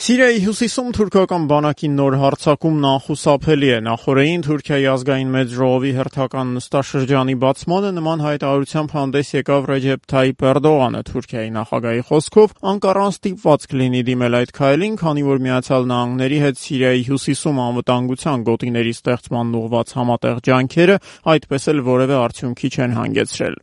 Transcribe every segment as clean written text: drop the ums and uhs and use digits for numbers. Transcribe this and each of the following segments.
Սիրիայի հյուսիսում թուրքական բանակի նոր հարձակումն անխուսափելի է։ Նախօրեին Թուրքիայի ազգային մեծ ժողովի հերթական նստաշրջանի բացմանը նման հայտարարությամբ հանդես եկավ Ռեջեփ Թայիփ Էրդողանը։ Թուրքիայի նախագահի խոսքով Անկարան ստիպված կլինի դիմել այդ քայլին, քանի որ Միացյալ Նահանգների հետ Սիրիայի հյուսիսում անվտանգության գոտիների ստեղծման ուղղված համատեղ ջանքերը այդպես էլ որևէ արդյունքի չեն հանգեցրել։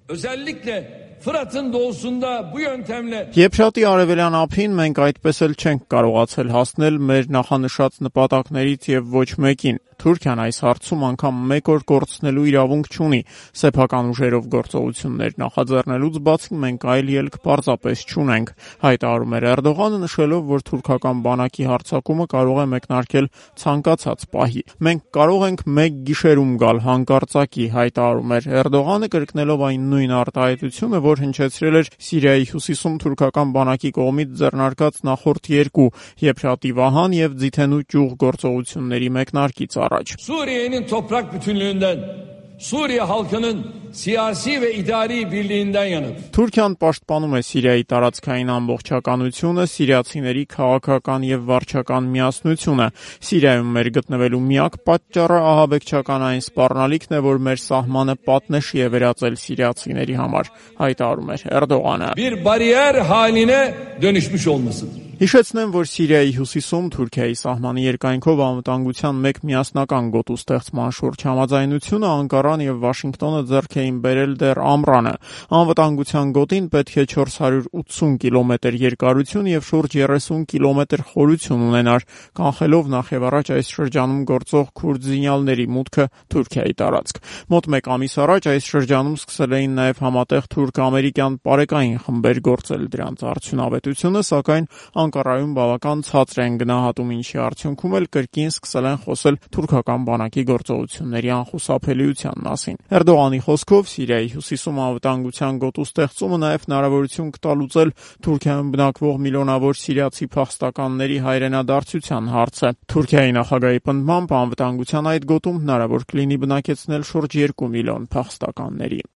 Եփրատի արևելյան ափին մենք այդպես էլ չենք կարողացել հասնել մեր նախանշած նպատակներից եւ ոչ մեկին։ Թուրքիան այս հարցում անգամ մեկ օր կորցնելու իրավունք չունի։ Սեփական ուժերով գործողություններ նախաձեռնելուց բացի մենք այլ ելք պարզապես չունենք, հայտարարում էր Էրդողանը, նշելով, որ թուրքական բանակի հարձակումը կարող է մեկնարկել ցանկացած պահի։ Մենք կարող ենք մեկ գիշերում գալ հանկարծակի, հայտարարում էր Էրդողանը, կրկնելով այն նույն արտահայտությունը, որ հնչեցրել էր Սիրիայի հյուսիսում թուրքական բանակի կողմից ձեռնարկած նախորդ երկու Եփրատի վահան եւ Ձիթենու ճյուղ գործողությունների մեկնարկից առաջ։ Suriye'nin toprak bütünlüğünden, Suriye halkının siyasi ve idari birliğinden yanıdır. Թուրքիան պաշտպանում է Սիրիայի տարածքային ամբողջականությունը, սիրիացիների քաղաքական եւ վարչական միասնությունը։ Սիրիայում մեր գտնվելու միակ պատճառը ահաբեկչական այն սպառնալիքն է, որ մեր սահմանը պատնեշի է վերածել սիրիացիների համար, հայտարարում էր Էրդողանը։ Bir bariyer haline dönüşmüş olmasıdır. Հիշեցնեմ, որ Սիրիայի հյուսիսում Թուրքիայի սահմանի երկայնքով անվտանգության մեկ միասնական գոտու ստեղծման շուրջ համաձայնությունը Անկարան եւ Վաշինգտոնը ձեռք էին բերել դեռ ամռանը։ Անվտանգության գոտին պետք է 480 կիլոմետր երկարություն եւ շուրջ 30 կիլոմետր խորություն ունենար, կանխելով նախևառաջ այս շրջանում գործող քուրդ զինյալների մուտքը Թուրքիայի տարածք։ Մոտ մեկ ամիս առաջ այս շրջանում սկսել էին նաեւ համատեղ թուրք-ամերիկյան պարեկային խմբեր գործել դրանց արդյունավետությունը, սակայն Անկարայում բավական ցածր են գնահատում, ինչի արդյունքում էլ կրկին սկսել են խոսել թուրքական բանակի գործողությունների անխուսափելիության մասին։ Էրդողանի խոսքով Սիրիայի հյուսիսում անվտանգության գոտու ստեղծումը նաև հնարավորություն կտա լուծել Թուրքիայում բնակվող միլիոնավոր սիրիացի փախստականների հայրենադարձության հարցը։ Թուրքիայի նախագահի պնդմամբ անվտանգության այդ գոտում հնարավոր կլինի բնակեցնել շուրջ 2 միլիոն փախստականների։